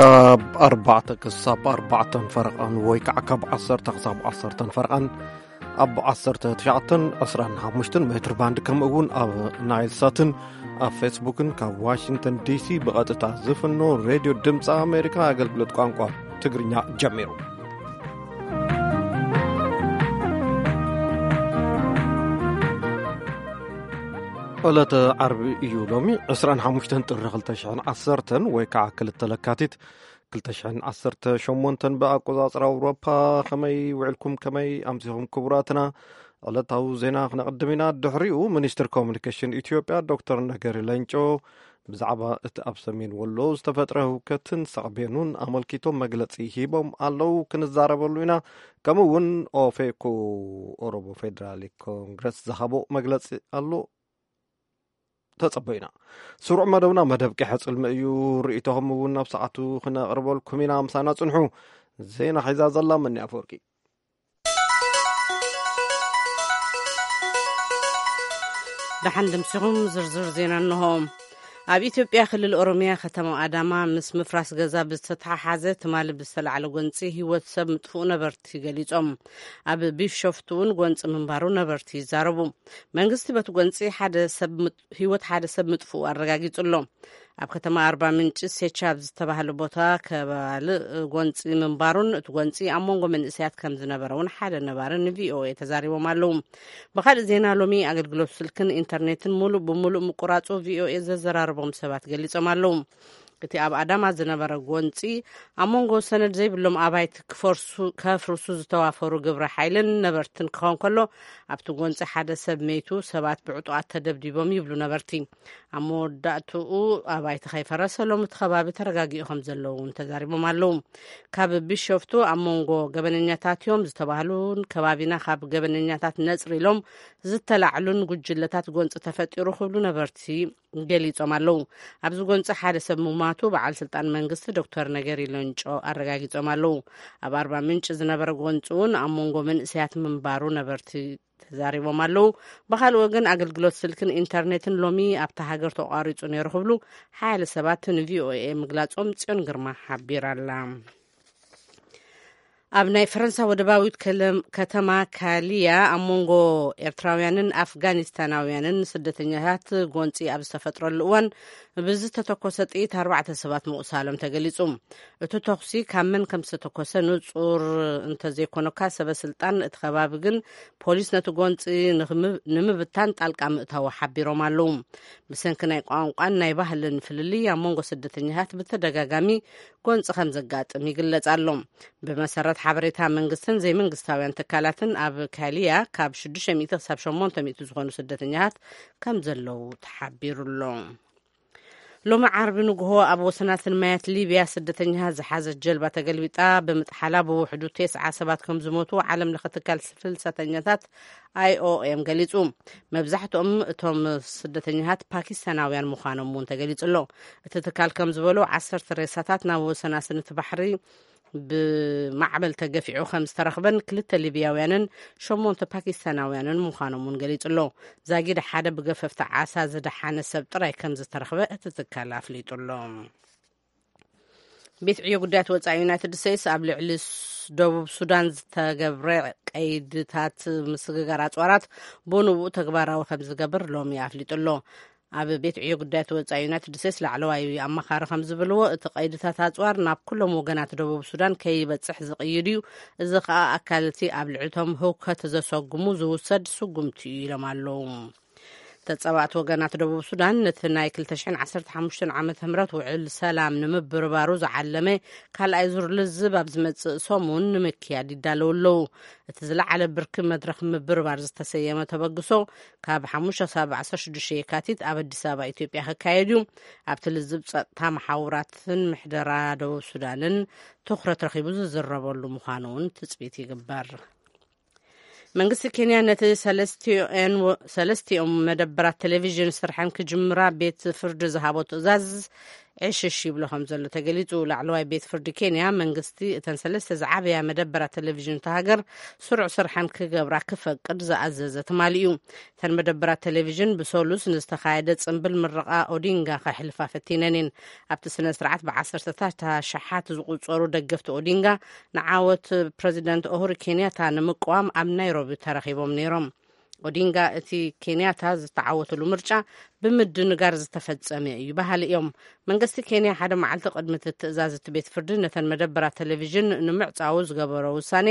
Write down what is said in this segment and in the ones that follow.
ኣብ ኣርባዕተ ክሳብ ኣርባዕተን ፈረቓን ወይ ከዓ ካብ ዓሰርተ ክሳብ ዓሰርተን ፈረቓን ኣብ ዓሰርተ ትሽዓተን ዕስራን ሓሙሽተን ሜትር ባንድ፣ ከምኡ እውን ኣብ ናይል ሳትን ኣብ ፌስቡክን ካብ ዋሽንግተን ዲሲ ብቐጥታ ዝፍኖ ሬድዮ ድምፂ ኣሜሪካ ኣገልግሎት ቋንቋ ትግርኛ ጀሚሩ። ዕለተ ዓርቢ እዩ ሎሚ፣ ዕስራን ሓሙሽተን ጥሪ ክልተ ሽሕን ዓሰርተን ወይ ከዓ ክልተ ለካቲት ክልተ ሽሕን ዓሰርተ ሸሞንተን ብኣቆጻጽራ ኣውሮፓ። ከመይ ውዕልኩም? ከመይ ኣምሲኹም ክቡራትና? ዕለታዊ ዜና ክነቕድም ኢና። ድሕሪኡ ሚኒስትር ኮሙኒኬሽን ኢትዮጵያ ዶክተር ነገሪ ሌንጮ ብዛዕባ እቲ ኣብ ሰሜን ወሎ ዝተፈጥረ ህውከትን ሳዕቤኑን ኣመልኪቶም መግለጺ ሂቦም ኣለዉ። ክንዛረበሉ ኢና። ከምኡ እውን ኦፌኮ፣ ኦሮሞ ፌዴራሊክ ኮንግረስ ዝሃቦ መግለጺ ኣሎ። ተጸበዩና። ስሩዕ መደብና መደብ ቀሐ ጽልሚ እዩ። ርእይቶኹም እውን ናብ ሰዓቱ ክነቕርበልኩም ኢና። ምሳና ጽንሑ። ዜና ሒዛ ዘላ መኒ ኣፈወርቂ። ደሓን ድምሲኹም ዝርዝር ዜና እንሆ። ኣብ ኢትዮጵያ ክልል ኦሮሚያ ከተማ ኣዳማ ምስ ምፍራስ ገዛ ብዝተተሓሓዘ ትማሊ ብዝተላዕለ ጎንፂ ህይወት ሰብ ምጥፍኡ ነበርቲ ገሊጾም። ኣብ ቢሾፍቱ እውን ጎንፂ ምንባሩ ነበርቲ ይዛረቡ። መንግስቲ በቲ ጎንፂ ሓደ ሰብ ምጥ-፣ ህይወት ሓደ ሰብ ምጥፍኡ ኣረጋጊጹ ኣሎ። ኣብ ከተማ ኣርባ ምንጭ ሴቻ ኣብ ዝተባህለ ቦታ ከባልእ ጎንፂ ምንባሩን እቲ ጎንፂ ኣብ መንጎ መንእሰያት ከም ዝነበረ እውን ሓደ ነባሪ ንቪኦኤ ተዛሪቦም ኣለዉ። ብኻልእ ዜና፣ ሎሚ ኣገልግሎት ስልክን ኢንተርኔትን ሙሉእ ብሙሉእ ምቁራጹ ቪኦኤ ዘዘራረቦም ሰባት ገሊጾም ኣለዉ። እቲ ኣብ ኣዳማ ዝነበረ ጎንፂ ኣብ መንጎ ሰነድ ዘይብሎም ኣባይቲ ክፈርሱ፣ ከፍርሱ ዝተዋፈሩ ግብረ ሓይልን ነበርትን ክኸውን ከሎ፣ ኣብቲ ጎንፂ ሓደ ሰብ መይቱ፣ ሰባት ብዕጡቓት ተደብዲቦም ይብሉ ነበርቲ። ኣብ መወዳእትኡ ኣባይቲ ከይፈረሰ ሎም እቲ ከባቢ ተረጋጊኡ ከም ዘለዉ እውን ተዛሪቦም ኣለዉ። ካብ ቢሾፍቱ ኣብ መንጎ ገበነኛታት እዮም ዝተባህሉን ከባቢና ካብ ገበነኛታት ነፅሪ ኢሎም ዝተላዕሉን ጉጅለታት ጎንፂ ተፈጢሩ ክብሉ ነበርቲ ገሊጾም ኣለዉ። ኣብዚ ጎንፂ ሓደ ሰብ ምሟቱ በዓል ስልጣን መንግስቲ ዶክተር ነገሪ ሎንጮ ኣረጋጊጾም ኣለዉ። ኣብ ኣርባ ምንጭ ዝነበረ ጎንፂ እውን ኣብ መንጎ መንእሰያት ምንባሩ ነበርቲ ተዛሪቦም ኣለዉ። ብኻልእ ወገን ኣገልግሎት ስልክን ኢንተርኔትን ሎሚ ኣብታ ሃገር ተቋሪጹ ነይሩ ክብሉ ሓያለ ሰባት ንቪኦኤ ምግላጾም ጽዮን ግርማ ሓቢራ ኣላ። ኣብ ናይ ፈረንሳ ወደባዊት ከለም-፣ ከተማ ካሊያ ኣብ መንጎ ኤርትራውያንን ኣፍጋኒስታናውያንን ስደተኛታት ጎንጺ ኣብ ዝተፈጥረሉ እዋን ብዝተተኮሰ ጥይት ኣርባዕተ ሰባት ምቑሳሎም ተገሊጹ። እቲ ተኹሲ ካብ መን ከም ዝተተኮሰ ንጹር እንተዘይኮነኳ፣ ሰበ ስልጣን እቲ ከባቢ ግን ፖሊስ ነቲ ጎንጺ ንኽም-፣ ንምብታን ጣልቃ ምእታዉ ሓቢሮም ኣለዉ። ብሰንኪ ናይ ቋንቋን ናይ ባህልን ፍልልይ ኣብ መንጎ ስደተኛታት ብተደጋጋሚ ጎንጺ ከም ዘጋጥም ይግለጽ ኣሎ። ብመሰረት ሓበሬታ መንግስትን ዘይመንግስታውያን ትካላትን፣ ኣብ ካሊያ ካብ ሽዱሽተ ሚእቲ ክሳብ ሸሞንተ ሚእቲ ዝኾኑ ስደተኛታት ከም ዘለዉ ተሓቢሩ ኣሎ። ሎሚ ዓርቢ ንግሆ ኣብ ወሰናስን ማያት ሊብያ ስደተኛታት ዝሓዘት ጀልባ ተገልቢጣ ብምጥሓላ ብውሕዱ ተስዓ ሰባት ከም ዝሞቱ ዓለም ለኸ ትካል ፍልሰተኛታት ኣይኦኤም ገሊጹ። መብዛሕትኦም እቶም ስደተኛታት ፓኪስታናውያን ምዃኖም እውን ተገሊጹ ኣሎ። እቲ ትካል ከም ዝበሎ፣ ዓሰርተ ሬሳታት ናብ ወሰናስን እቲ ባሕሪ ብማዕበል ተገፊዑ ከም ዝተረኽበን ክልተ ሊብያውያንን ሸሞንተ ፓኪስታናውያንን ምዃኖም እውን ገሊጹ ኣሎ። ዛጊድ ሓደ ብገፈፍቲ ዓሳ ዝደሓነ ሰብ ጥራይ ከም ዝተረኽበ እቲ ትካል ኣፍሊጡ ኣሎ። ቤት ዕዮ ጉዳያት ወጻኢ ዩናይትድ ስቴትስ ኣብ ልዕሊ ስ-፣ ደቡብ ሱዳን ዝተገብረ ቀይድታት ምስግጋር ኣጽዋራት ብንቡእ ተግባራዊ ከም ዝገብር ሎሚ ኣፍሊጡ ኣሎ። ኣብ ቤት ዕዮ ጉዳያት ወጻኢ ዩናይትድ ስቴትስ ላዕለዋይ ኣማኻሪ ከም ዝብልዎ፣ እቲ ቀይድታት ኣጽዋር ናብ ኩሎም ወገናት ደቡብ ሱዳን ከይበጽሕ ዝቕይድ እዩ። እዚ ከኣ ኣካል እቲ ኣብ ልዕሊቶም ህውከት ዘሰጉሙ ዝውሰድ ስጉምቲ እዩ ኢሎም ኣለዉ። ተጻባእቲ ወገናት ደቡብ ሱዳን ነቲ ናይ ክልተ ሽሕን ዓሰርተ ሓሙሽተን ዓመተ ምህረት ውዕል ሰላም ንምብርባሩ ዝዓለመ ካልኣይ ዙር ልዝብ ኣብ ዝመጽእ ሰሙን ንምክያድ ይዳለዉ ኣለዉ። እቲ ዝለዓለ ብርኪ መድረኽ ምብርባር ዝተሰየመ ተበግሶ ካብ ሓሙሽተ ክሳብ ዓሰርተ ሽዱሽተ የካቲት ኣብ ኣዲስ ኣበባ ኢትዮጵያ ክካየድ እዩ። ኣብቲ ልዝብ ጸጥታ መሓውራትን ምሕደራ ደቡብ ሱዳንን ትኹረት ረኺቡ ዝዝረበሉ ምዃኑ እውን ትጽቢት ይግበር። መንግስቲ ኬንያ ነቲ ሰለስቲኦን-፣ ሰለስቲኦም መደበራት ቴሌቪዥን ስርሐን ክጅምራ ቤት ፍርዲ ዝሃቦ ትእዛዝ ዕሽሽ ይብሎ ከም ዘሎ ተገሊጹ። ላዕለዋይ ቤት ፍርዲ ኬንያ መንግስቲ እተን ሰለስተ ዝዓበያ መደበራት ቴሌቪዥን እታ ሃገር ስሩዕ ስርሐን ክገብራ ክፈቅድ ዝኣዘዘ ትማሊ እዩ። እተን መደበራት ቴሌቪዥን ብሰሉስ ንዝተኻየደ ጽምብል ምረቓ ኦዲንጋ ከሕልፋ ፈቲነን እየን። ኣብቲ ስነ ስርዓት ብዓሰርተታት ኣሽሓት ዝቑጸሩ ደገፍቲ ኦዲንጋ ንዓወት ፕረዚደንት ኡሁሩ ኬንያታ ንምቅዋም ኣብ ናይሮቢ ተረኺቦም ነይሮም። ኦዲንጋ እቲ ኬንያታ ዝተዓወተሉ ምርጫ ብምድንጋር ዝተፈጸመ እዩ በሃሊ እዮም። መንግስቲ ኬንያ ሓደ መዓልቲ ቅድሚ እቲ ትእዛዝ እቲ ቤት ፍርዲ ነተን መደበራት ቴሌቪዥን ንምዕጻዉ ዝገበሮ ውሳኔ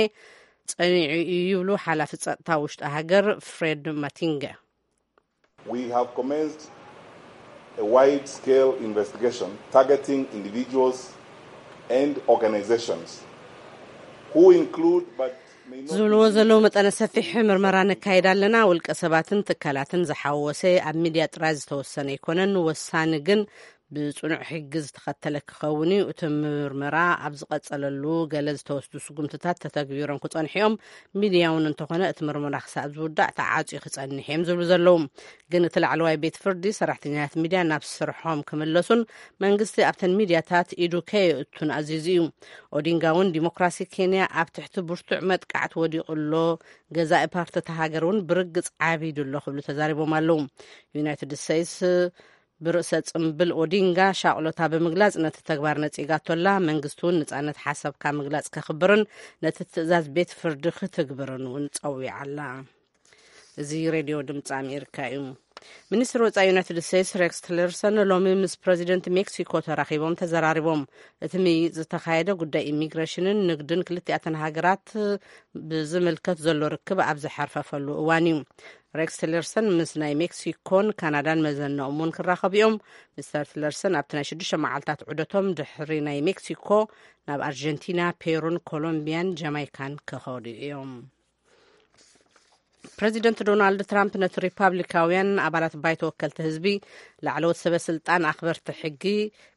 ጸኒዑ እዩ ይብሉ ሓላፊ ጸጥታ ውሽጢ ሃገር ፍሬድ ማቲንገ። We have commenced a wide-scale investigation targeting individuals and organizations who include but may not ዝብልዎ ዘለዉ መጠነ ሰፊሕ ምርመራ ነካይድ ኣለና። ውልቀ ሰባትን ትካላትን ዝሓወሰ ኣብ ሚድያ ጥራይ ዝተወሰነ ኣይኮነን። ወሳኒ ግን ብጽኑዕ ሕጊ ዝተኸተለ ክኸውን እዩ። እቲ ምርመራ ኣብ ዝቐጸለሉ ገለ ዝተወስዱ ስጉምትታት ተተግቢሮም ክጸንሑ እዮም። ሚድያ እውን እንተኾነ እቲ ምርመራ ክሳብ ዝውዳእ ተዓጽዩ ክጸንሕ እዮም ዝብሉ ዘለዉ። ግን እቲ ላዕለዋይ ቤት ፍርዲ ሰራሕተኛታት ሚድያ ናብ ስርሖም ክምለሱን መንግስቲ ኣብተን ሚድያታት ኢዱ ከየእቱን ኣዚዙ እዩ። ኦዲንጋ እውን ዲሞክራሲ ኬንያ ኣብ ትሕቲ ብርቱዕ መጥቃዕቲ ወዲቑ ኣሎ፣ ገዛኢ ፓርቲ እታ ሃገር እውን ብርግጽ ዓቢዱ ኣሎ ክብሉ ተዛሪቦም ኣለዉ። ዩናይትድ ስቴትስ ብርእሰ ጽምብል ኦዲንጋ ሻቕሎታ ብምግላጽ ነቲ ተግባር ነጺጋቶ ኣላ። መንግስቲ እውን ነጻነት ሓሳብካ ምግላጽ ከኽብርን ነቲ ትእዛዝ ቤት ፍርዲ ክትግብርን እውን ጸዊዓ ኣላ። እዚ ሬድዮ ድምፂ ኣሜሪካ እዩ። ሚኒስትር ወፃኢ ዩናይትድ ስቴትስ ሬክስ ቲለርሰን ሎሚ ምስ ፕረዚደንት ሜክሲኮ ተራኺቦም ተዘራሪቦም። እቲ ምይይጥ ዝተኻየደ ጉዳይ ኢሚግሬሽንን ንግድን ክልቲኣተን ሃገራት ብዝምልከት ዘሎ ርክብ ኣብ ዝሓርፈፈሉ እዋን እዩ። ሬክስ ቲለርሰን ምስ ናይ ሜክሲኮን ካናዳን መዘናኦም እውን ክራኸቡ እዮም። ሚስተር ቲለርሰን ኣብቲ ናይ ሽዱሽተ መዓልታት ዑደቶም ድሕሪ ናይ ሜክሲኮ ናብ ኣርጀንቲና፣ ፔሩን ኮሎምቢያን ጃማይካን ክኸዱ እዮም። ፕረዚደንት ዶናልድ ትራምፕ ነቲ ሪፓብሊካውያን ኣባላት ባይቶ ወከልቲ ህዝቢ ላዕለዎት ሰበ ስልጣን ኣኽበርቲ ሕጊ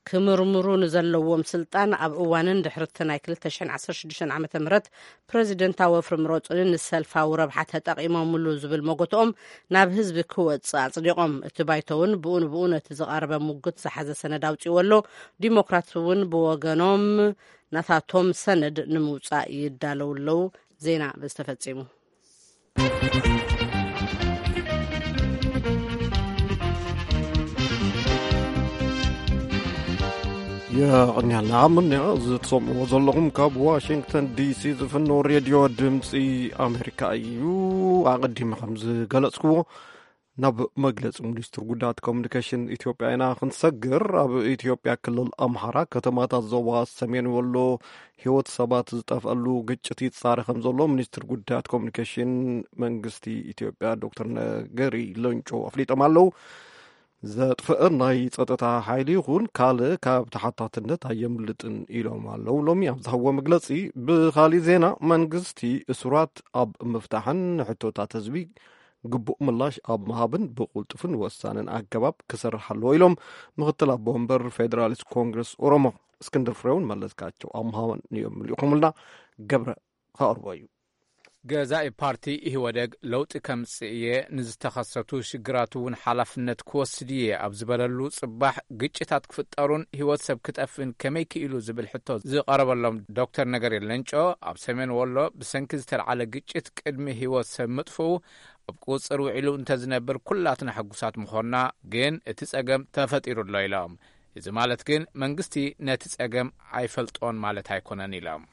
ክምርምሩ ንዘለዎም ስልጣን ኣብ እዋንን ድሕርቲ ናይ ክልተ ሽሕን ዓሰርተ ሽዱሽተን ዓመተ ምህረት ፕረዚደንታዊ ወፍሪ ምረጹኒ ንሰልፋዊ ረብሓ ተጠቒሞምሉ ዝብል መጎትኦም ናብ ህዝቢ ክወጽእ ኣጽዲቖም። እቲ ባይቶ እውን ብኡ ንብኡ ነቲ ዝቐረበ ሙግት ዝሓዘ ሰነድ ኣውጺዎ ኣሎ። ዲሞክራት እውን ብወገኖም ናታቶም ሰነድ ንምውጻእ ይዳለዉ ኣለዉ። ዜና በዚ ተፈጺሙ። የቕንያልና ምንያ እዚ ትሰምዕዎ ዘለኹም ካብ ዋሽንግተን ዲሲ ዝፍኖ ሬድዮ ድምፂ ኣሜሪካ እዩ። ኣቐዲመ ከም ዝገለጽክዎ ናብ መግለፂ ሚኒስትር ጉዳያት ኮሚኒኬሽን ኢትዮጵያ ኢና ክንሰግር። ኣብ ኢትዮጵያ ክልል ኣምሓራ ከተማታት ዞባ ሰሜን ወሎ ህይወት ሰባት ዝጠፍኣሉ ግጭት ይፃረ ከም ዘሎ ሚኒስትር ጉዳያት ኮሚኒኬሽን መንግስቲ ኢትዮጵያ ዶክተር ነገሪ ሌንጮ ኣፍሊጦም ኣለዉ። ዘጥፍአ ናይ ጸጥታ ሓይሊ ይኹን ካልእ ካብ ተሓታትነት ኣየምልጥን ኢሎም ኣለዉ። ሎሚ ኣብ ዝሃብዎ መግለጺ፣ ብኻሊእ ዜና መንግስቲ እሱራት ኣብ ምፍታሕን ንሕቶታት ህዝቢ ግቡእ ምላሽ ኣብ ምሃብን ብቕልጡፍን ወሳንን ኣገባብ ክሰርሕ ኣለዎ ኢሎም ምክትል ኣቦ ወንበር ፌደራሊስት ኮንግረስ ኦሮሞ እስክንድር ፍሬውን መለስካቸው ኣምሃን እዮም ልኢኹምልና። ገብረ ከቕርቦ እዩ። ገዛኢ ፓርቲ ኢህወደግ ለውጢ ከምጽእ እየ፣ ንዝተኸሰቱ ሽግራት እውን ሓላፍነት ክወስድ እየ ኣብ ዝበለሉ ጽባሕ፣ ግጭታት ክፍጠሩን ህይወት ሰብ ክጠፍእን ከመይ ክኢሉ ዝብል ሕቶ ዝቐረበሎም ዶክተር ነገሪ ሌንጮ፣ ኣብ ሰሜን ወሎ ብሰንኪ ዝተልዓለ ግጭት ቅድሚ ህይወት ሰብ ምጥፍኡ ኣብ ቁጽር ውዒሉ እንተዝነብር ኩላትና ሕጉሳት ምኾንና፣ ግን እቲ ጸገም ተፈጢሩ ኣሎ ኢሎም። እዚ ማለት ግን መንግስቲ ነቲ ጸገም ኣይፈልጦን ማለት ኣይኮነን ኢሎም።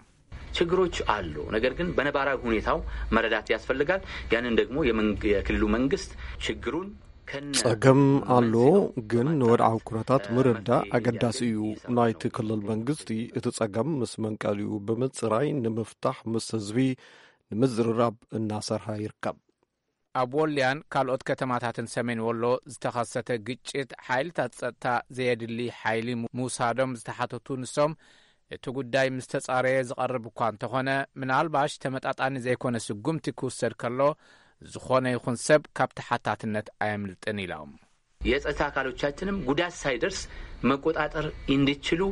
ችግሮች አሉ። ነገር ግን በነባራዊ ሁኔታው መረዳት ያስፈልጋል። ያንን ደግሞ የመንግ- የክልሉ መንግስት ችግሩን ከነ ጸገም ኣሎ፣ ግን ንወድዓዊ ኩነታት ምርዳእ ኣገዳሲ እዩ። ናይቲ ክልል መንግስቲ እቲ ጸገም ምስ መንቀሊኡ ብምጽራይ ንምፍታሕ ምስ ህዝቢ ንምዝርራብ እናሰርሐ ይርከብ። ኣብ ወልያን ካልኦት ከተማታትን ሰሜን ወሎ ዝተኸሰተ ግጭት ሓይልታት ጸጥታ ዘየድሊ ሓይሊ ምውሳዶም ዝተሓተቱ ንሶም፣ እቲ ጉዳይ ምስ ተጻረየ ዝቐርብ እኳ እንተኾነ፣ ምናልባሽ ተመጣጣኒ ዘይኮነ ስጉምቲ ክውሰድ ከሎ፣ ዝኾነ ይኹን ሰብ ካብ ተሓታትነት ኣየምልጥን ኢሎም። የጸጥታ አካሎቻችንም ጉዳት ሳይደርስ መቆጣጠር እንዲችሉ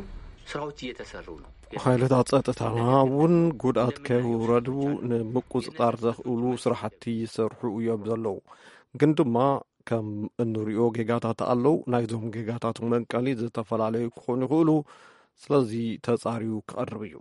ስራዎች እየተሰሩ ነው። ሓይልታት ጸጥታና እውን ጉድኣት ከይውረዱ ንምቁጽጻር ዘኽእሉ ስራሕቲ ይሰርሑ እዮም ዘለዉ። ግን ድማ ከም እንሪኦ ጌጋታት ኣለዉ። ናይዞም ጌጋታት መንቀሊ ዝተፈላለዩ ክኾኑ ይኽእሉ። ስለዚ ተጻርዩ ክቐርብ እዩ።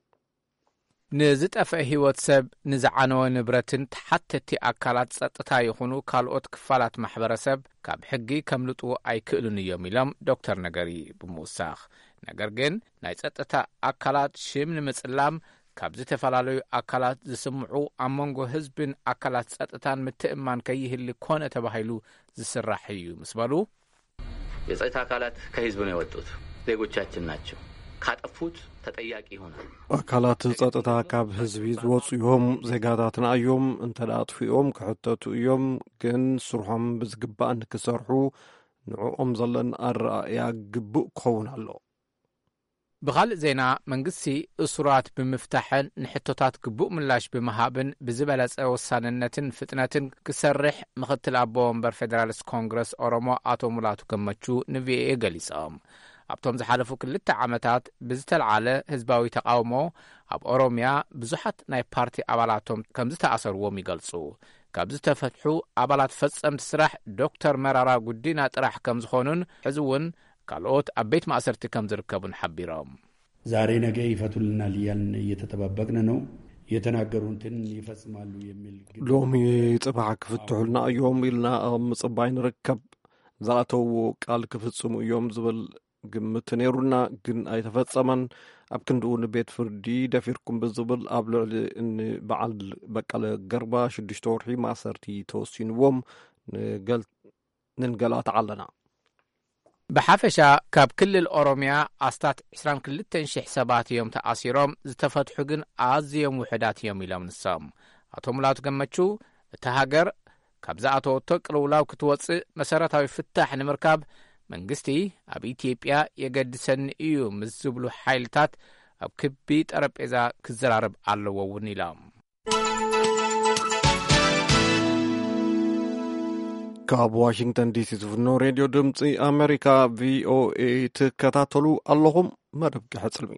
ንዝጠፍአ ህይወት ሰብ፣ ንዝዓነወ ንብረትን ተሓተቲ ኣካላት ጸጥታ ይኹኑ ካልኦት ክፋላት ማሕበረሰብ ካብ ሕጊ ከምልጡ ኣይክእሉን እዮም ኢሎም ዶክተር ነገሪ ብምውሳኽ። ነገር ግን ናይ ጸጥታ ኣካላት ሽም ንምጽላም ካብ ዝተፈላለዩ ኣካላት ዝስምዑ ኣብ መንጎ ህዝብን ኣካላት ጸጥታን ምትእማን ከይህሊ ኮነ ተባሂሉ ዝስራሕ እዩ ምስ በሉ፣ የጸጥታ አካላት ከህዝብ ነው የወጡት፣ ዜጎቻችን ናቸው። ካጠፉት ተጠያቂ ይሆናሉ። ኣካላት ጸጥታ ካብ ህዝቢ ዝወጹ እዮም፣ ዜጋታትና እዮም። እንተ ደኣ ኣጥፊኦም ክሕተቱ እዮም፣ ግን ስርሖም ብዝግባእ ንክሰርሑ ንዕኦም ዘለና ኣረኣእያ ግቡእ ክኸውን ኣሎ። ብኻልእ ዜና፣ መንግስቲ እሱራት ብምፍታሕን ንሕቶታት ግቡእ ምላሽ ብምሃብን ብዝበለጸ ወሳንነትን ፍጥነትን ክሰርሕ ምኽትል ኣቦ ወንበር ፌደራሊስት ኮንግረስ ኦሮሞ ኣቶ ሙላቱ ገመቹ ንቪኦኤ ገሊጾም። ኣብቶም ዝሓለፉ ክልተ ዓመታት ብዝተልዓለ ህዝባዊ ተቓውሞ ኣብ ኦሮምያ ብዙሓት ናይ ፓርቲ ኣባላቶም ከም ዝተኣሰርዎም ይገልጹ። ካብ ዝተፈትሑ ኣባላት ፈጸምቲ ስራሕ ዶክተር መራራ ጉዲና ጥራሕ ከም ዝኾኑን ሕዚ እውን ካልኦት ኣብ ቤት ማእሰርቲ ከም ዝርከቡን ሓቢሮም። ዛሬ ነገ ይፈቱልናል እያልን እየተጠባበቅን ነው። የተናገሩትን ይፈጽማሉ የሚል ግምት ሎሚ ጽባሕ ክፍትሑልና እዮም ኢልና ኣብ ምጽባይ ንርከብ። ዝኣተውዎ ቃል ክፍጽሙ እዮም ዝብል ግምት ነይሩና፣ ግን ኣይተፈጸመን። ኣብ ክንድኡ ንቤት ፍርዲ ደፊርኩም ብዝብል ኣብ ልዕሊ እኒ በዓል በቀለ ገርባ ሽዱሽተ ወርሒ ማእሰርቲ ተወሲንዎም ንገል-፣ ንንገላታዕ ኣለና። ብሓፈሻ ካብ ክልል ኦሮምያ ኣስታት ዕስራን ክልተን ሽሕ ሰባት እዮም ተኣሲሮም፣ ዝተፈትሑ ግን ኣዝዮም ውሑዳት እዮም ኢሎም ንሶም። ኣቶ ሙላቱ ገመቹ፣ እታ ሃገር ካብ ዝኣተወቶ ቅልውላው ክትወጽእ መሰረታዊ ፍታሕ ንምርካብ መንግስቲ ኣብ ኢትዮጵያ የገድሰኒ እዩ ምስ ዝብሉ ሓይልታት ኣብ ክቢ ጠረጴዛ ክዘራረብ ኣለዎ እውን ኢሎም። ካብ ዋሽንግተን ዲሲ ዝፍኖ ሬድዮ ድምፂ ኣሜሪካ ቪኦኤ ትከታተሉ ኣለኹም። መደብ ቀሕፅልሚ።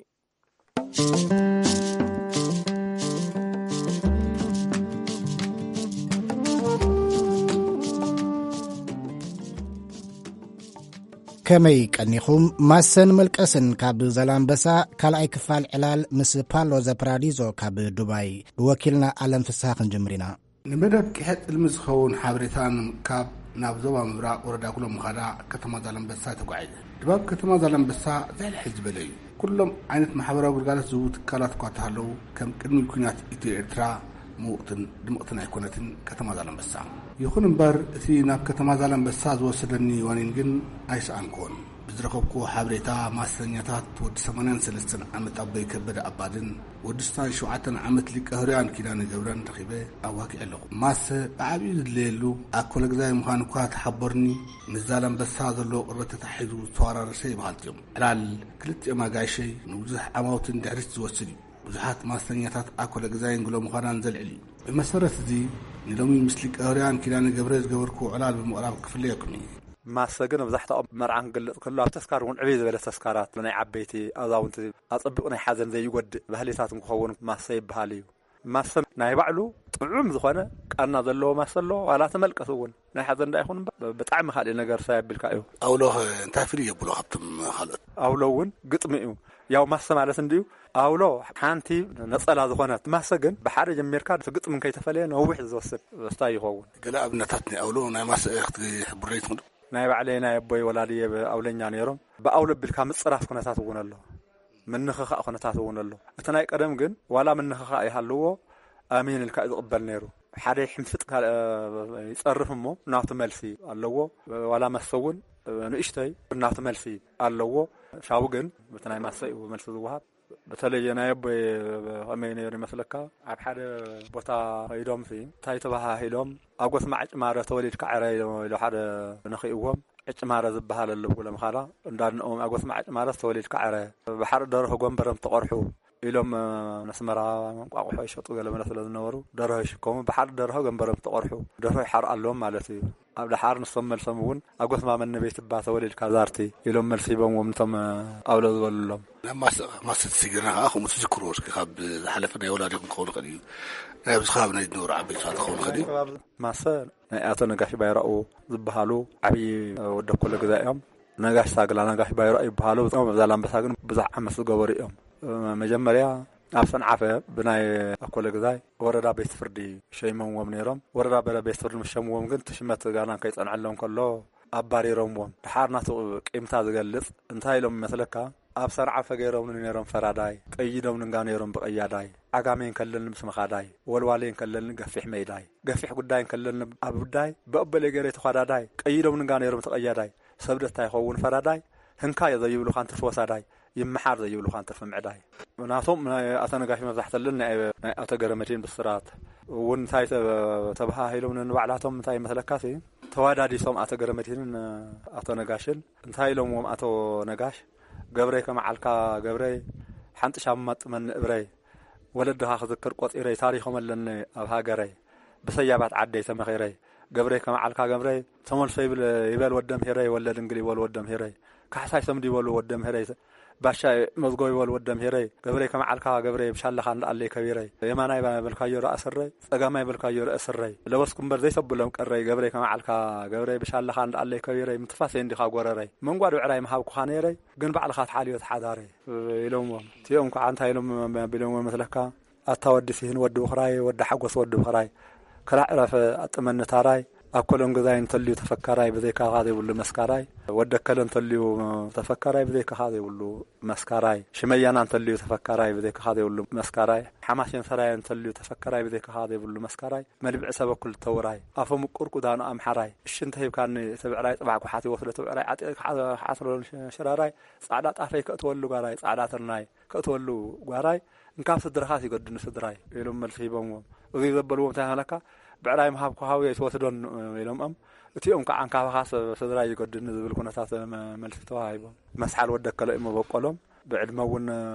ከመይ ቀኒኹም? ማሰን መልቀስን ካብ ዛላምበሳ፣ ካልኣይ ክፋል ዕላል ምስ ፓሎ ዘፕራዲዞ ካብ ዱባይ። ብወኪልና ኣለም ፍስሃ ክንጅምር ኢና። ንመደብ ቅሐ ጥልሚ ዝኸውን ሓበሬታ ንምእካብ ናብ ዞባ ምብራቕ ወረዳ ጉሎ ምኻዳ ከተማ ዛላምበሳ ተጓዒዘ። ድባብ ከተማ ዛላምበሳ ዝሕልሕል ዝበለ እዩ። ኩሎም ዓይነት ማሕበራዊ ግልጋሎት ዝህቡ ትካላት እኳ እንተሃለዉ፣ ከም ቅድሚ ኲናት ኢትዮ ኤርትራ ምውቕትን ድምቕትን ኣይኮነትን ከተማ ዛላምበሳ። ይኹን እምበር፣ እቲ ናብ ከተማ ዛላምበሳ ዝወሰደኒ ዋኒን ግን ኣይሰኣንኩዎን። ብዝረኸብኩዎ ሓበሬታ፣ ማሰኛታት ወዲ ሰማንያን ሰለስተን ዓመት ኣቦይ ከበደ ኣባድን ወዲ ስሳን ሸውዓተን ዓመት ሊቀ ህሩያን ኪዳነ ገብረን ረኺበ ኣዋጊዐ ኣለኹ። ማሰ ብዓቢኡ ዝድለየሉ ኣኮለግዛይ ምዃኑ እኳ ተሓቦርኒ፣ ምስ ዛላምበሳ ዘለዎ ቅርበት ተታሒዙ ዝተዋራረሰ እዩ በሃልቲ እዮም። ዕላል ክልቲኦም ኣጋይሸይ ንብዙሕ ዓማውቲ ንድሕሪት ዝወስድ እዩ። ብዙሓት ማስተኛታት ኣኮለ ግዛይን ግሎ ምዃናን ዘልዕል እዩ። ብመሰረት እዚ፣ ንሎሚ ምስ ሊቀ ህሩያን ኪዳነ ገብረ ዝገበርኩዎ ዕላል ብምቕራብ ክፍለየኩም እዩ። ማሰ ግን መብዛሕትኦም መርዓ ክገልጽ ከሎ፣ ኣብ ተስካር እውን ዕብይ ዝበለ ተስካራት፣ ናይ ዓበይቲ ኣዛውንቲ፣ ኣጸቢቑ ናይ ሓዘን ዘይጎድእ ባህልታት እንክኸውን ማሰ ይበሃል እዩ። ማሰ ናይ ባዕሉ ጥዑም ዝኾነ ቃና ዘለዎ ማሰ ኣሎ፣ ዋላ ተመልቀስ እውን ናይ ሓዘን እንዳ ይኹን እምበር፣ ብጣዕሚ ካልእ ነገር ሳይ ኣቢልካ እዩ። ኣውሎ ኸ እንታይ ፍልይ የብሎ ካብቶም ካልኦት? ኣውሎ እውን ግጥሚ እዩ። ያው ማሰ ማለት እንድዩ፣ ኣውሎ ሓንቲ ነጸላ ዝኾነት፣ ማሰ ግን ብሓደ ጀሚርካ እቲ ግጥሚ እንከይተፈለየ ነዊሕ ዝወስድ ስታይ ይኸውን። ገለ ኣብነታት ናይ ኣውሎ ናይ ማሰ ክትሕብረይ ትኽእሉ? ናይ ባዕለይ ናይ ኣቦይ ወላዲ ኣውለኛ ነይሮም። ብኣውሎ ኣቢልካ ምጽራፍ ኩነታት እውን ኣሎ። ምንኽኻእ ኩነታት እውን ኣሎ። እቲ ናይ ቀደም ግን ዋላ ምንኽኻእ ይሃልዎ፣ ኣሜን ኢልካ እዩ ዝቕበል ነይሩ። ሓደ ይሕንፍጥ ካልእ ይጸርፍ እሞ ናቱ መልሲ ኣለዎ። ዋላ መስተ እውን ንእሽተይ ናቱ መልሲ ኣለዎ። ሻቡ ግን በቲ ናይ ማሰ እዩ መልሲ ዝወሃብ። በተለየ ናይ ኣቦይ ከመይ ነይሩ ይመስለካ? ኣብ ሓደ ቦታ ከይዶም ሲ እንታይ ተባሃሂሎም፣ ኣብ ጎስማዕ ጭማረ ተወሊድካ ዕረ ኢሎ፣ ኢሎ ሓደ ንኽእዎም። ዕጭማረ ዝበሃል ኣሎ ብጉሎ ምኻዳ። እንዳድንኦም ኣጎስማዕ ዕጭማረ ዝተወሊድካ ዕረ፣ ብሓር ደርሆ ጎንበረም ተቆርሑ ኢሎም፣ ነስመራ እንቋቑሖ ይሸጡ ገለ መለ ስለ ዝነበሩ፣ ደርሆ ይሽከሙ፣ ብሓር ደርሆ ጎንበረም ተቆርሑ፣ ደርሆ ይሓር ኣለዎም ማለት እዩ። ኣብ ደሓር ንሶም መልሶም እውን ኣጎስማ መነበይቲ እባ ተወሊድካ ዛርቲ ኢሎም መልሲ ሂቦምዎም፣ ንቶም ኣውሎ ዝበሉሎም። ናብ ማስ-፣ ማስተር ተሰጊርና ከዓ ከምኡ ትዝክርዎ እስኪ፣ ካብ ዝሓለፈ ናይ ወላዲኹም ክኸውን ይኽእል እዩ፣ ናይ ኣብዚ ከባቢ ናይ ዝነበሩ ዓበይቲ ሰባት ክኸውን ይኽእል እዩ። ማሰ ናይ ኣቶ ነጋሽ ባይራኡ ዝበሃሉ ዓብዪ ወዲ ኣኮለ ግዛይ እዮም። ነጋሽ ሳግላ፣ ነጋሽ ባይራኡ ይበሃሉ። እዞም ኣብ ዛላምበሳ ግን ብዙሕ ዓመት ዝገበሩ እዮም። መጀመርያ ኣብ ሰንዓፈ ብናይ ኣኮለ ግዛይ ወረዳ ቤት ፍርዲ ሸይሞምዎም ነይሮም። ወረዳ በ-፣ ቤት ፍርዲ ምስ ሸምዎም ግን እቲ ሽመት ጋና ከይጸንዐሎም ከሎ ኣባሪሮምዎም። ድሓር ናቱ ቂምታ ዝገልጽ እንታይ ኢሎም ይመስለካ? ኣብ ሰንዓፈ ገይሮምኒ ነይሮም ፈራዳይ፣ ቀይዶምኒ እንጋ ነይሮም ብቐያዳይ። ዓጋመ እንከለኒ ምስ መኻዳይ፣ ወልዋሌ እንከለኒ ገፊሕ መይዳይ፣ ገፊሕ ጉዳይ እንከለኒ ኣብ ጉዳይ፣ ብኣበለ ገይረ ተዃዳዳይ፣ ቀይዶምኒ እንጋ ነይሮም ተቐያዳይ። ሰብ ደታ ይኸውን ፈራዳይ፣ ህንካ እዮ ዘይብሉኻ እንትርፊ ወሳዳይ፣ ይመሓር ዘይብሉኻ እንትርፊ ምዕዳይ። ናቶም ናይ ኣቶ ነጋሽ መብዛሕተለን ናይ፣ ናይ ኣቶ ገረመድህን ብስራት እውን እንታይ ተ-፣ ተባሃሂሎም ንባዕላቶም እንታይ ይመስለካሲ፣ ተዋዳዲሶም ኣቶ ገረመድህንን ኣቶ ነጋሽን እንታይ ኢሎምዎም ኣቶ ነጋሽ፣ "ገብረይ ከመዓልካ ገብረይ፣ ሓንቲ ሻማ ጥመኒ እብረይ፣ ወለድኻ ክዝክር ቆጺረይ፣ ታሪኾም ኣለኒ ኣብ ሃገረይ፣ ብሰያባት ዓደይ ተመኺረይ፣ ገብረይ ከመዓልካ ገብረይ፣ ተመልሶ ይብል፣ ይበል ወደም ሄረይ፣ ወለድ እንግል ይበሉ ወደም ሄረይ፣ ካሕሳይ ሰምዲ ይበሉ ወደም ሄረይ፣ ባሻ መዝጎ ይበሉ ወደም ሄረይ፣ ገብረይ ከመዓልካ ገብረይ፣ ብሻለኻ እንዳኣለይ ከቢረይ፣ የማናይ በልካዮ ራእስረይ፣ ጸጋማይ በልካዮ ርእስረይ፣ ለበስኩ እምበር ዘይሰብሎም ቀረይ፣ ገብረይ ከመዓልካ ገብረይ፣ ብሻለኻ እንዳኣለይ ከቢረይ፣ ምትፋሰይ እንዲኻ ጎረረይ፣ መንጓድ ብዕራይ ምሃብኩኻ ነይረይ፣ ግን ባዕልኻ ትሓልዮ ተሓዳረይ" ኢሎምዎም። እቲኦም ከዓ እንታይ ኢሎም ኣቢሎምዎ መስለካ? "ኣታ ወዲ ሲሂን ወዲ ብኽራይ፣ ወዲ ሓጎስ ወዲ ብኽራይ፣ ክራዕ ዕረፍ ኣጥመኒ ታራይ፣ ኣኮለን ግዛይ እንተልዩ ተፈካራይ፣ ብዘይካኻ ዘይብሉ መስካራይ፣ ወዲ ኣከለ እንተልዩ ተፈካራይ፣ ብዘይካኻ ዘይብሉ መስካራይ፣ ሽመያና እንተልዩ ተፈካራይ፣ ብዘይካኻ ዘይብሉ መስካራይ፣ ሓማሴን ሰራየ እንተልዩ ተፈካራይ፣ ብዘይካኻ ዘይብሉ መስካራይ፣ መልብዒ ሰበ ክልተ ውራይ፣ ኣፈ ምቁር ቁዳኑ ኣምሓራይ፣ እሺ እንተሂብካኒ እቲ ብዕራይ፣ ጽባሕ ጓሓት ይወስዶ እቲ ብዕራይ፣ ዓጢቐ ክሓ-፣ ክሓስሮ ሽ-፣ ሽራራይ፣ ጻዕዳ ጣፈይ ከእትወሉ ጓራይ፣ ጻዕዳ ትርናይ ከእትወሉ ጓራይ፣ እንካብ ስድራኻስ ይገድኒ ስድራይ" ኢሎም መልሲ ሂቦምዎም። እዚ ዘበልዎም እንታይ ሃለካ? "ብዕራይ ምሃብኩ ሃውየ ኣይትወስዶን" ኢሎምኦም። እቲኦም ከዓ "እንካባኻስ ስድራይ ይገድኒ" ዝብል ኩነታት መ-፣ መልሲ ተዋሂቦም። መስሓል ወዲ ኣከለ እዩ መበቆሎም። ብዕድመ እውን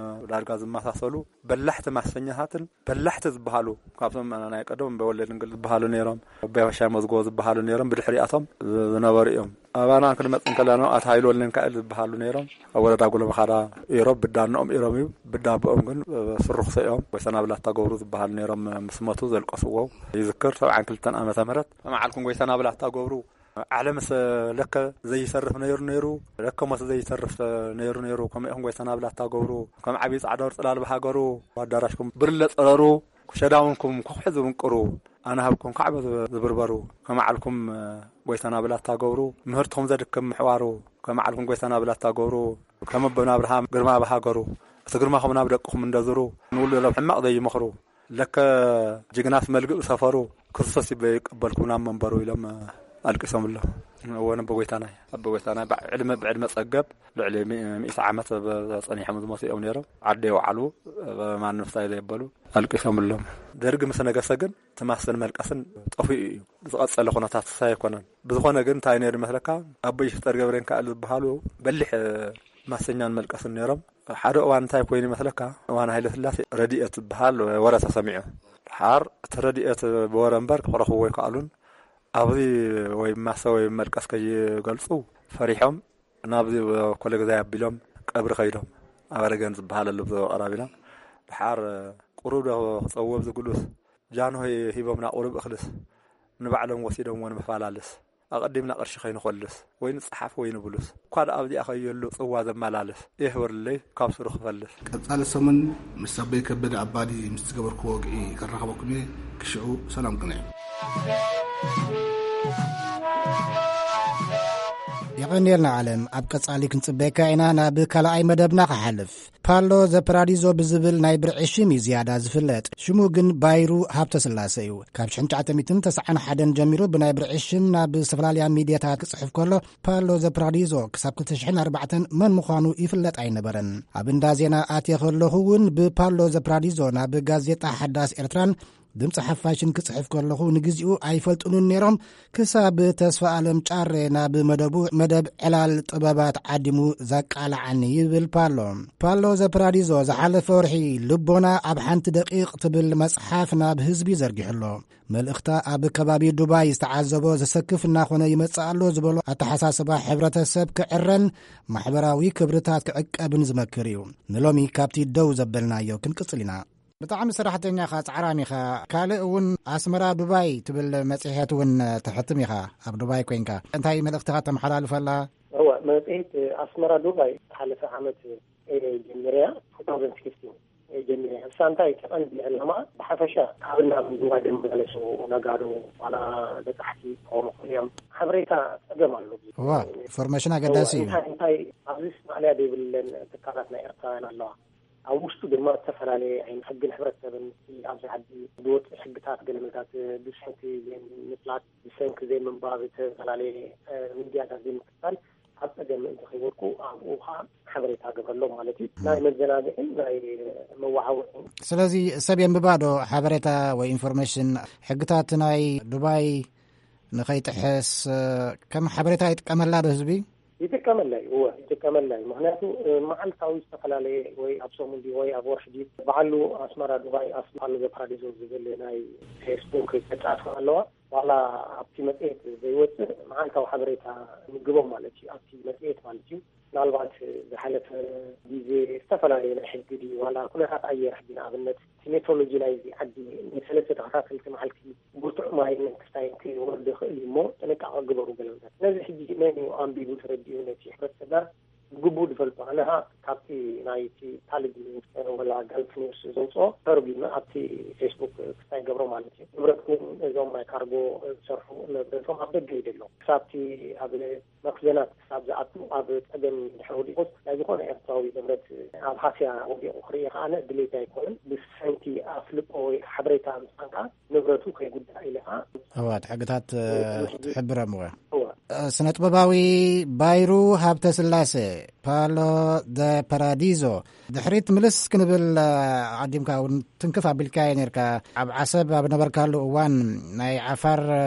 ዳርጋ ዝመሳሰሉ በላሕቲ ማሰኛታትን በላሕቲ ዝበሃሉ፣ ካብቶም ናይ ቀደም በወለ ድንግል ዝበሃሉ ነይሮም፣ ኣቦይ ባሻ መዝጎ ዝበሃሉ ነይሮም፣ ብድሕሪኣቶም ዝነበሩ እዮም። ኣባና ክንመጽእ እንከለና ኣቶ ሃይለ ወልደሚካኤል ዝበሃሉ ነይሮም፣ ኣብ ወረዳ ጉለመኻዳ ኢሮብ፣ ብዳ ኣኖኦም ኢሮም እዩ። ብዳ ኣቦኦም ግን ስሩኽሰ እዮም። ጎይታ ናብላታ ገብሩ ዝበሃሉ ነይሮም፣ ምስ መቱ ዘልቀስዎ ይዝክር። ሰብዓን ክልተን ዓመተ ምህረት። ሰማዓልኩም ጎይታ ናብላታ ገብሩ ዓለምስ ለከ ዘይሰርፍ ነይሩ ነይሩ፣ ለከ ሞት ዘይተርፍ ነይሩ ነይሩ። ከምኡ ኢኹም ጎይታ ናብላታ ገብሩ፣ ከም ዓብዪ ጻዕዳ ወርጽ ላልባ ሃገሩ፣ ኣዳራሽኩም ብርለ ጸረሩ፣ ሸዳውንኩም ኩሕሒ ዝብንቅሩ፣ ኣነ ሃብኩም ካዕበ ዝብ-፣ ዝብርበሩ፣ ከመዓልኩም ጎይታ ናብላታ ገብሩ፣ ምህርትኹም ዘድክም ምሕዋሩ፣ ከመዓልኩም ጎይታ ናብላታ ገብሩ፣ ከም ኣቦና ኣብርሃም ግርማ ብሃገሩ፣ እቲ ግርማኹም ናብ ደቅኹም እንደዝሩ፣ ንውልዶም ሕማቕ ዘይመኽሩ፣ ለከ ጅግናስ መልግእ ሰፈሩ፣ ክርስቶስ ይበ ይቀበልኩም ናብ መንበሩ ኢሎም ኣልቂሶምሎም። እወ፣ ኣቦ ጎይታናይ፣ ኣቦ ጎይታናይ ብዕ-፣ ዕድመ፣ ብዕድመ ጸገብ ልዕሊ ሚ-፣ ሚእቲ ዓመት ብ-፣ ጸኒሖም ዝሞቱ እዮም ነይሮም። ዓዲ የውዓሉ፣ ማንም ስታይ ዘየበሉ ኣልቂሶምሎም። ደርጊ ምስ ነገሰ ግን እቲ ማሰን መልቀስን ጠፊኡ እዩ። ዝቐጸለ ኩነታት ስታይ ኣይኮነን። ብዝኾነ ግን እንታይ ነይሩ ይመስለካ? ኣቦ ይፍጠር ገብረንካእል ዝበሃሉ በሊሕ ማሰኛን መልቀስን ነይሮም። ሓደ እዋን እንታይ ኮይኑ ይመስለካ? እዋን ሃይለ ስላሴ ረድኤት ዝበሃል ወረ ተሰሚዑ። ድሓር እቲ ረድኤት ብወረ እምበር ክረኽብዎ ኣይከኣሉን። ኣብዚ ወይ ማሰ ወይ መልቀስ ከይገልጹ ፈሪሖም ናብዚ ኮለግዛይ ኣቢሎም ቀብሪ ከይዶም። ኣብ ኣረገን ዝበሃል ኣሎ ብዘበ ቀራቢና። ድሓር ቁሩብ ዶ ክጸውዎ ኣብዚ ግሉስ? ጃንሆይ ሂቦምና ቁሩብ እኽልስ ንባዕሎም ወሲዶምዎ ንምፋላልስ። ኣቐዲምና ቅርሺ ከይንኾልስ፣ ወይ ንጸሓፍ ወይ ንብሉስ፣ እኳ ደኣ ኣብዚኣ ከየሉ ጽዋ ዘመላልስ፣ የሕብርለይ ካብ ስሩ ክፈልስ። ቀጻሊ ሰሙን ምስ ኣቦይ ከበደ ኣባዲ ምስ ዝገበርክዎ ወግዒ ከራኸበኩም እየ። ክሽዑ ሰላም ቅንዕ። የቐንየልና ዓለም፣ ኣብ ቀጻሊ ክንጽበየካ ኢና። ናብ ካልኣይ መደብና ክሓልፍ። ፓሎ ዘ ፓራዲዞ ብዝብል ናይ ብርዒ ሽም እዩ ዝያዳ ዝፍለጥ። ሽሙ ግን ባይሩ ሃብተ ስላሰ እዩ። ካብ ሽሕን ትሽዓተ ሚእትን ተስዓን ሓደን ጀሚሩ ብናይ ብርዒ ሽም ናብ ዝተፈላለያ ሚድያታት ክጽሕፍ ከሎ፣ ፓሎ ዘ ፓራዲዞ ክሳብ ክልተ ሽሕን ኣርባዕተን መን ምዃኑ ይፍለጥ ኣይነበረን። ኣብ እንዳ ዜና ኣትየ ከለኹ እውን ብፓሎ ዘ ፓራዲዞ ናብ ጋዜጣ ሓዳስ ኤርትራን ድምፂ ሓፋሽን ክፅሕፍ ከለኹ ንግዚኡ ኣይፈልጡንን ነይሮም፣ ክሳብ ተስፋ ኣለም ጫሬ ናብ መደቡ፣ መደብ ዕላል ጥበባት ዓዲሙ ዘቃልዓኒ ይብል ፓሎ። ፓሎ ዘፕራዲዞ ዝሓለፈ ወርሒ ልቦና ኣብ ሓንቲ ደቂቕ ትብል መጽሓፍ ናብ ህዝቢ ዘርጊሑ ኣሎ። መልእኽታ ኣብ ከባቢ ዱባይ ዝተዓዘቦ ዘሰክፍ እናኾነ ይመጽእ ኣሎ ዝበሎ ኣተሓሳስባ ሕብረተሰብ ክዕረን ማሕበራዊ ክብርታት ክዕቀብን ዝመክር እዩ። ንሎሚ ካብቲ ደው ዘበልናዮ ክንቅጽል ኢና። ብጣዕሚ ሰራሕተኛ ኢኻ፣ ጻዕራም ኢኻ። ካልእ እውን ኣስመራ ዱባይ ትብል መጽሔት እውን ተሕትም ኢኻ፣ ኣብ ዱባይ ኮይንካ። እንታይ መልእኽትኻ ተመሓላልፈላ? እወ፣ መጽሔት ኣስመራ ዱባይ ዝሓለፈ ዓመት እየ ጀሚረያ፣ two thousand sixteen እየ ጀሚረያ። እሳ እንታይ እቲ ቀንዲ ዕላማ፣ ብሓፈሻ ካብ ናብ ዱባይ ዝመላለሱ ነጋዶ፣ ዋላ በጻሕቲ ክኾኑ ይኽእሉ እዮም፣ ሓበሬታ ጸገም ኣሎ። እዋ፣ ኢንፎርሜሽን ኣገዳሲ እዩ። እንታይ፣ እንታይ ኣብዚ ማእለያ ዘይብለን ትካላት ናይ ኤርትራውያን ኣለዋ። ኣብ ውሽጡ ድማ ዝተፈላለየ ዓይነት ሕግን ሕብረተሰብን፣ እቲ ኣብዚ ዓዲ ዝወፅእ ሕግታት፣ ገለ መታት ብሰንኪ ዘይምፍላጥ፣ ብሰንኪ ዘይምንባብ፣ ዝተፈላለየ፣ እ፣ ሚድያታት ዘይምክትታል ኣብ ፀገም ምእንቲ ከይወድቁ ኣብኡ ከዓ ሓበሬታ ገበረሎም ማለት እዩ። ናይ መዘናግዕን ናይ መወዓውዒን። ስለዚ ሰብ የንብባ ዶ ሓበሬታ ወይ ኢንፎርሜሽን፣ ሕግታት ናይ ዱባይ ንኸይጥሕስ፣ እ፣ ከም ሓበሬታ ይጥቀመላ ዶ ህዝቢ? ይጥቀመላ እዩ፣ እወ፣ ይጥቀመላ እዩ። ምኽንያቱ፣ እ፣ መዓልታዊ ዝተፈላለየ ወይ ኣብ ሰሙን ድዩ ወይ ኣብ ወርሒ ድዩ፣ በዓሉ ኣስመራ ዱባይ ኣስ-፣ በዓሉ ዘፓራዲዞ ዝብል ናይ ፌስቡክ ገጻት ኣለዋ። ዋላ ኣብቲ መጽሔት ዘይወጽእ መዓልታዊ ሓበሬታ ምግቦም ማለት እዩ፣ ኣብቲ መጽሔት ማለት እዩ። ምናልባት ዝሓለፈ ግዜ ዝተፈላለየ ናይ ሕጊ ድዩ፣ ዋላ ኩነታት ኣየር ሕጂ ንኣብነት እቲ ሜትሮሎጂ ናይዚ ዓዲ ንሰለስተ ተኸታተልቲ መዓልቲ ብርቱዕ ማይን ክስታይን ክወርድ ይኽእል እዩ እሞ ጥንቃቐ ግበሩ ገለመታት። ስለዚ ሕጂ መን እዩ ኣንቢቡ ተረዲኡ ነቲ ሕብረተሰብና ብግቡእ ዝፈልጦ? ኣነ ኸኣ ካብቲ ናይቲ ካልድ ኒውስ ወላ ጋልፍ ኒውስ ዘውፅኦ ተርጒመ ኣብቲ ፌስቡክ ክስታይ ገብሮ ማለት እዩ። ንብረትኩም እዞም ናይ ካርጎ ዝሰርሑ ንብረቶም ኣብ ደገ እዩ ዘሎ። ክሳብቲ ኣብ መክዘናት ክሳብ ዝኣቱ ኣብ ጸገም ድሕሪ ወዲቑስ ናይ ዝኾነ ኤርትራዊ ንብረት ኣብ ሃስያ ወዲቑ ክርኢ ከኣ ድሌት ኣይኮነን። ብሰንኪ ኣፍልጦ ወይ ሓበሬታ ምሳን ከኣ ንብረቱ ከይጉዳእ ኢለ ከኣ እዋ፣ እቲ ሕግታት፣ እ፣ ትሕብረም እዋ። እዋ። እ፣ ስነ ጥበባዊ ባይሩ ሃብተ ስላሴ፣ ፓሎ ደ ፓራዲዞ፣ ድሕሪት ምልስ ክንብል፣ እ፣ ኣቐዲምካ እውን ትንክፍ ኣቢልካዮ ነርካ። ኣብ ዓሰብ ኣብ ነበርካሉ እዋን ናይ ዓፋር፣ እ፣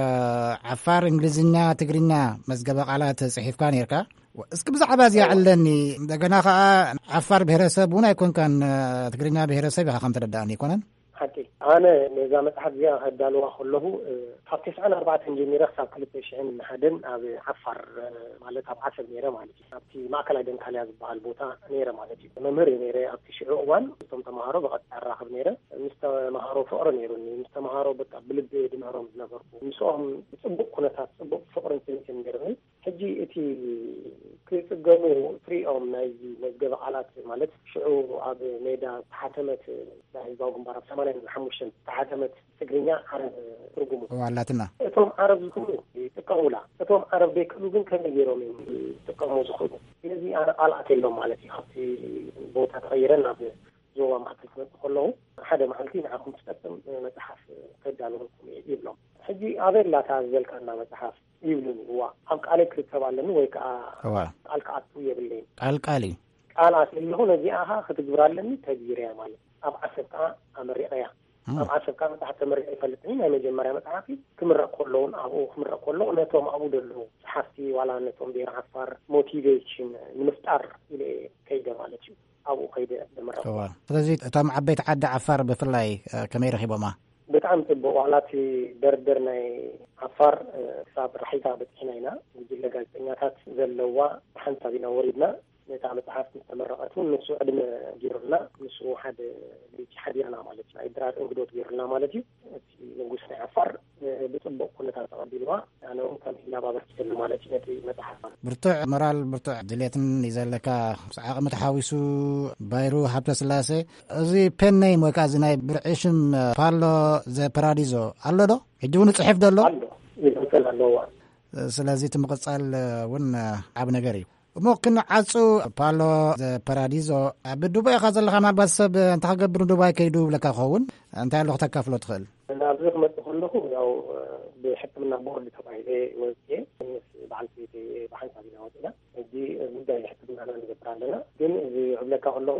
ዓፋር፣ እንግሊዝኛ፣ ትግርኛ መዝገበ ቃላት ጽሒፍካ ነርካ። እስኪ ብዛዕባ እዚኣ እዋ። ዕለኒ። እንደገና ከኣ ዓፋር ብሄረሰብ እውን ኣይኮንካን፣ እ፣ ትግርኛ ብሄረሰብ ኢኻ ከም ተረዳእኒ፣ ኣይኮነን? ሓቂ። ኣነ ነዛ መጽሓፍ እዚኣ ከዳልዋ ከለኹ፣ እ፣ ካብ ተስዓን ኣርባዕተን ጀሚረ ክሳብ ክልተ ሽሕን ሓደን ኣብ ዓፋር፣ እ፣ ማለት ኣብ ዓሰብ ነይረ ማለት እዩ። ኣብቲ ማእከላይ ደንካልያ ዝበሃል ቦታ ነይረ ማለት እዩ። መምህር እየ ነይረ ኣብቲ ሽዑ እዋን። ምስቶም ተምሃሮ ብቐጥታ እራኸብ ነይረ። ምስ ተምሃሮ ፍቕሪ ነይሩኒ። ምስ ተምሃሮ በቃ ብልቢ ድምህሮም ዝነበርኩ። ምስኦም ብጽቡቕ ኩነታት፣ ጽቡቕ ፍቕርን ስኒትን ነይሩኒ። ሕጂ እቲ ክጽገሙ ትሪኦም ናይዚ መዝገበ ቃላት ማለት ሽዑ ኣብ ሜዳ ዝተሓተመት ናይ ህዝባዊ ግንባር ኣብ ሰማንያን ሓሙሽተን ዝተሓተመት ትግርኛ ዓረብ ትርጉሙ። እዋ፣ ኣላትና። እቶም ዓረብ ዝኽእሉ ይጥቀሙላ። እቶም ዓረብ ዘይክእሉ ግን ከመይ ገይሮም እዮም ዝጥቀሙ ዝኽእሉ? ስለዚ ኣነ ቃል ኣትየሎም ማለት እዩ። ካብቲ ቦታ ተቐይረ ናብ ዞባ ማእከል ክመጽእ ከለኹ ሓደ መዓልቲ ንዓኹም ትጠቅም መጽሓፍ ከዳልወልኩም እየ ይብሎም። ሕጂ ኣበይ ኣላታ ዝበልካና መጽሓፍ? ይብሉኒ። እዋ፣ ኣብ ቃለይ ክርከብ ኣለኒ ወይ ከኣ እዋ። ቃል ክኣቱ የብለይን። ቃል ቃል እዩ። ቃል ኣትየለኹ፣ ነዚኣ ኸኣ ክትግብራ ኣለኒ፣ ተግቢረያ ማለት እዩ። ኣብ ዓሰብ ከኣ ኣመሪቐያ። እም። ኣብ ዓሰብ ከኣ መጽሓፍ ተመሪቐ ይፈልጥን እዩ። ናይ መጀመርያ መጽሓፍ እዩ። ክምረቕ ከሎ እውን፣ ኣብኡ ክምረቕ ከሎ፣ ነቶም ኣብኡ ዘለዉ ጸሓፍቲ፣ ዋላ ነቶም ብሄር ዓፋር ሞቲቬሽን ንምፍጣር ኢለ እየ ከይደ ማለት እዩ። ኣብኡ ከይደ ዘመረቕኩ። እዋ። ስለዚ እቶም ዓበይቲ ዓዲ ዓፋር ብፍላይ፣ እ፣ ከመይ ረኺቦማ? ብጣዕሚ ጽቡቕ። ዋላ እቲ ደርደር ናይ ዓፋር፣ እ፣ ክሳብ ራሒታ በጺሕና ኢና። ጉጅለ ጋዜጠኛታት ዘለዋ ሓንሳብ ኢና ወሪድና። ነታ መጽሓፍ ምስ ተመረቐት እውን ንሱ ዕድመ ገይሩልና፣ ንሱ ሓደ ለይቲ ሓዲርና ማለት እዩ። ናይ ድራር እንግዶት ገይሩልና ማለት እዩ። እቲ ንጉስ ናይ ዓፋር፣ እ፣ ብጽቡቕ ኩነታት ተቐቢልዋ። ኣነ እውን ከም ህያብ ኣበርኪተሉ ማለት እዩ ነቲ መጽሓፍ። ብርቱዕ ሞራል፣ ብርቱዕ ድሌትን እዩ ዘለካ። ምስ ዓቕሚ ተሓዊሱ ባይሩ ሃብተስላሴ፣ እዚ ፔን ኔም ወይ ከዓ እዚ ናይ ብርዒ ሽም ፓሎ ዘ ፓራዲዞ ኣሎ ዶ? ሕጂ እውን ይጽሕፍ ዶ ኣሎ? ኣሎ፣ ይቕጽል ኣለዎ። ስለዚ እቲ ምቕጻል እውን ዓቢ ነገር እዩ። እሞ ክንዓጹ፣ ፓሎ ዘ ፓራዲዞ፣ ኣብ ዱባይ ኢኻ ዘለኻ፣ ምናልባት ሰብ እንታይ ክገብር ንዱባይ ከይዱ ይብለካ ክኸውን፣ እንታይ ኣሎ ክተካፍሎ ትኽእል? ናብዚ ክመጽእ ከለኹ፣ ያው፣ ብሕክምና ቦርድ ተባሂለ ወፅየ ምስ በዓልቲ ቤተይ ብሓንሳብ ኢና ወፂና። ሕጂ ጉዳይ ሕክምናና ንገብር ኣለና። ግን እዚ ክብለካ ከለኹ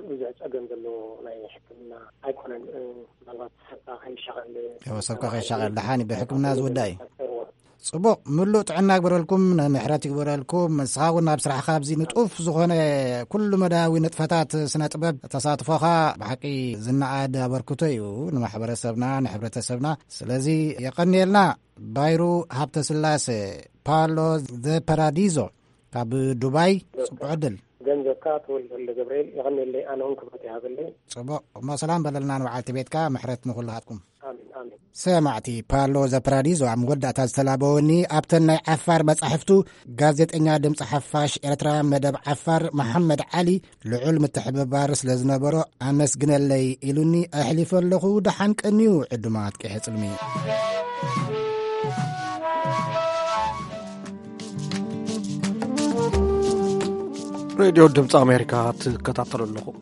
ብዙሕ ፀገም ዘለዎ ናይ ሕክምና ኣይኮነን። ምናልባት ሰብካ ከይሻቐል፣ ሰብካ ከይሻቐል ደሓን እዩ ብሕክምና ዝውዳእ እዩ። ጽቡቕ፣ ምሉእ ጥዕና ይግበረልኩም፣ ምሕረት ይግበረልኩም። ንስኻ እውን ኣብ ስራሕኻ ኣብዚ ንጡፍ ዝኾነ ኩሉ መዳያዊ ንጥፈታት ስነ ጥበብ ተሳትፎኻ ብሓቂ ዝነኣድ ኣበርክቶ እዩ ንማሕበረሰብና፣ ንሕብረተሰብና። ስለዚ የቐንየልና። ባይሩ ሃብተ ስላሴ፣ ፓሎ ዘ ፓራዲዞ፣ ካብ ዱባይ። ጽቡቕ ዕድል። ገንዘብካ ተወልደ ወልደ ገብርኤል፣ የቐንየለይ። ኣነ እውን ክብረት ይሃበለይ። ጽቡቕ እሞ፣ ሰላም በለልና ንበዓልቲ ቤትካ፣ ምሕረት ንኹልኻትኩም። ኣሜን፣ ኣሜን። ሰማዕቲ፣ ፓሎ ዘ ፓራዲዞ ኣብ መወዳእታ ዝተላበወኒ ኣብተን ናይ ዓፋር መጻሕፍቱ፣ ጋዜጠኛ ድምፂ ሓፋሽ ኤርትራ መደብ ዓፋር መሓመድ ዓሊ ልዑል ምትሕብባር ስለ ዝነበሮ ኣመስግነለይ ኢሉኒ ኣሕሊፈ ኣለኹ። ደሓን ቀንዩ ዕዱማት ቀይሕ ጽልሚ። ሬድዮ ድምፂ ኣሜሪካ ትከታተሉ ኣለኹም።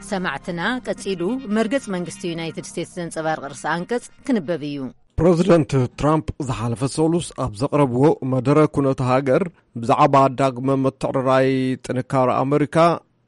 ሰማዕትና፣ ቀጺሉ መርገጽ መንግስቲ ዩናይትድ ስቴትስ ዘንጸባርቕ ርእሰ ኣንቀጽ ክንበብ እዩ። ፕረዚደንት ትራምፕ ዝሓለፈ ሰሉስ ኣብ ዘቕረብዎ መደረ ኩነተ ሃገር ብዛዕባ ዳግመ ምትዕርራይ ጥንካረ ኣመሪካ፣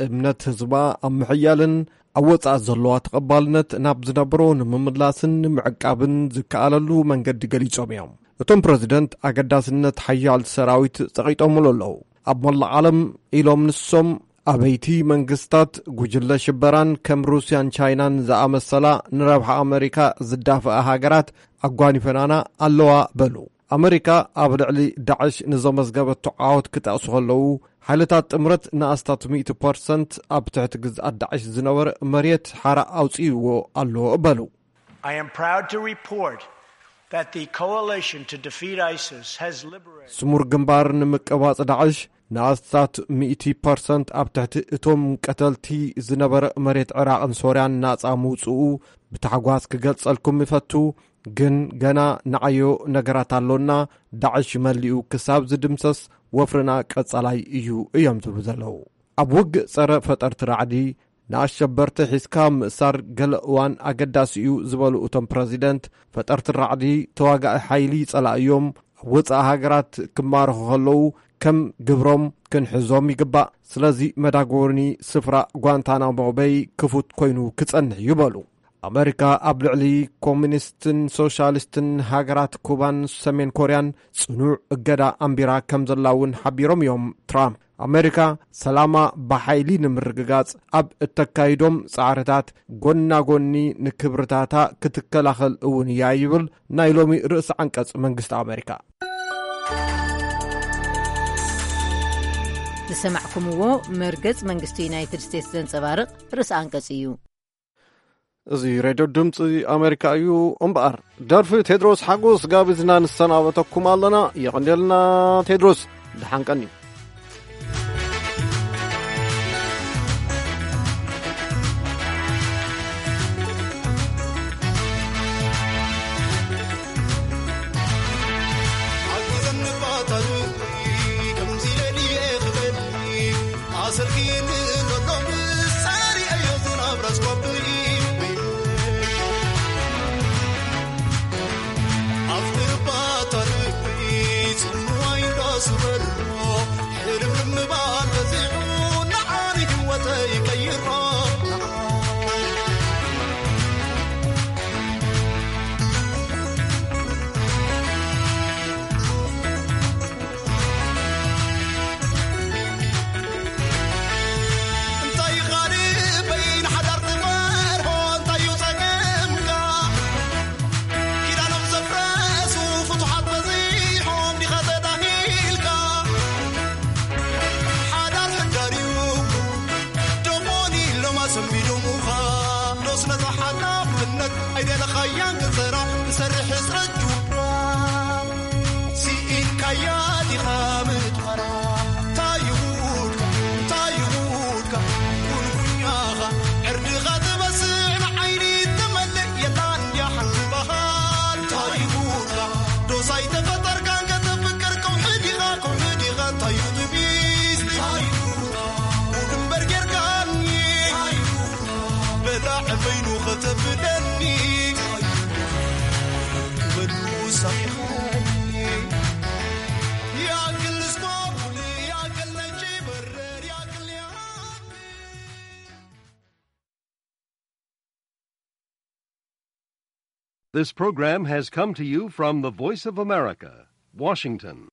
እምነት ህዝባ ኣብ ምሕያልን ኣብ ወጻኢ ዘለዋ ተቐባልነት ናብ ዝነበሮ ንምምላስን ንምዕቃብን ዝከኣለሉ መንገዲ ገሊጾም እዮም። እቶም ፕረዚደንት ኣገዳስነት ሓያል ሰራዊት ጸቒጦምሉ ኣለዉ። ኣብ መላእ ዓለም ኢሎም ንሶም ኣበይቲ መንግስታት ጉጅለ ሽበራን ከም ሩስያን ቻይናን ዝኣመሰላ ንረብሓ ኣመሪካ ዝዳፍኣ ሃገራት ኣጓኒፈናና ኣለዋ በሉ። ኣመሪካ ኣብ ልዕሊ ዳዕሽ ንዘመዝገበቶ ዓወት ክጠቕሱ ከለዉ፣ ሓይልታት ጥምረት ንኣስታት ሚእቲ ፐርሰንት ኣብ ትሕቲ ግዝኣት ዳዕሽ ዝነበረ መሬት ሓራ ኣውፅእዎ ኣሎ በሉ። I am proud to report that the coalition to defeat ISIS has liberated. ስሙር ግንባር ንምቅባጽ ዳዕሽ ንኣስታት ሚእቲ ፐርሰንት ኣብ ትሕቲ እቶም ቀተልቲ ዝነበረ መሬት ዕራቕን ሶርያን ናጻ ምውጽኡ ብታሕጓስ ክገልጸልኩም ይፈቱ። ግን ገና ንዓዮ ነገራት ኣሎና። ዳዕሽ መሊኡ ክሳብ ዝድምሰስ ወፍርና ቀጻላይ እዩ እዮም ዝብሉ ዘለዉ። ኣብ ውግእ ጸረ ፈጠርቲ ራዕዲ ንኣሸበርቲ ሒዝካ ምእሳር ገለ እዋን ኣገዳሲ እዩ ዝበሉ እቶም ፕረዚደንት፣ ፈጠርቲ ራዕዲ ተዋጋኢ ሓይሊ ጸላእዮም ኣብ ወጻኢ ሃገራት ክማረኹ ከለዉ ከም ግብሮም ክንሕዞም ይግባእ። ስለዚ መዳጎኒ ስፍራ ጓንታናሞ በይ ክፉት ኮይኑ ክጸንሕ እዩ በሉ። ኣመሪካ ኣብ ልዕሊ ኮሚኒስትን ሶሻሊስትን ሃገራት ኩባን ሰሜን ኮርያን ጽኑዕ እገዳ ኣንቢራ ከም ዘላ እውን ሓቢሮም እዮም ትራምፕ። ኣመሪካ ሰላማ ብሓይሊ ንምርግጋጽ ኣብ እተካይዶም ጻዕርታት ጎና ጎኒ ንክብርታታ ክትከላኸል እውን እያ ይብል ናይ ሎሚ ርእሲ ዓንቀጽ መንግስቲ ኣመሪካ። ዝሰማዕኩምዎ መርገጽ መንግስቲ ዩናይትድ ስቴትስ ዘንጸባርቕ ርእሲ ኣንቀጽ እዩ። እዚ ሬድዮ ድምፂ ኣሜሪካ እዩ። እምበኣር ደርፊ ቴድሮስ ሓጎስ ጋቢዝና ንሰናበተኩም ኣለና። የቐንየልና ቴድሮስ፣ ደሓን ቀኒ። ሓግዘኒ ባታሪ ከምዚ ኢለ ድየ ክበሊ ኣሰርኪኒ ዘሎ ምሳሪ ኣዮ ዝናብ ራስኮብሪ ኣብቲ ባታሪ ጽምዋይ እንዳስበሎ ሕልምልም ምባል በዚሑ ንዓኒ ህይወተይ ቀይሮ። እንታይ ካልእ በይን ሓዳር ትፈርሆ እንታይ እዩ ጸገምካ? ኪዳኖም ዘፍረሱ ፍቱሓት በዚሖም ዲኻ ተዳሂልካ? ሓዳር ሕዳር እዩ ዶሞኒ ኢሎም ኣሰንቢዶሙኻ። ዶስ ነዛ ሓላፍነት ኣይደለኻያን ክትሰራ ትሰርሕ ሕጽረት ጁባ። ስኢንካያ ዲኻ ምትኳራ? እንታይ ይጉድካ? እንታይ ይጉድካ? ጉንጉኛኻ ዕርድኻ ትበስዕ ንዓይኒ ትመልእ የላን ድያ ሓንቲ ባህል? እንታይ ይጉድካ? ዶስ ኣይተፈጠርካን ከተፍቅር ከውሒ ዲኻ? ከውሒ ዲኻ? እንታይ እዩ ትቢስ? እንታይ እዩ This program has come to you from the Voice of America, Washington.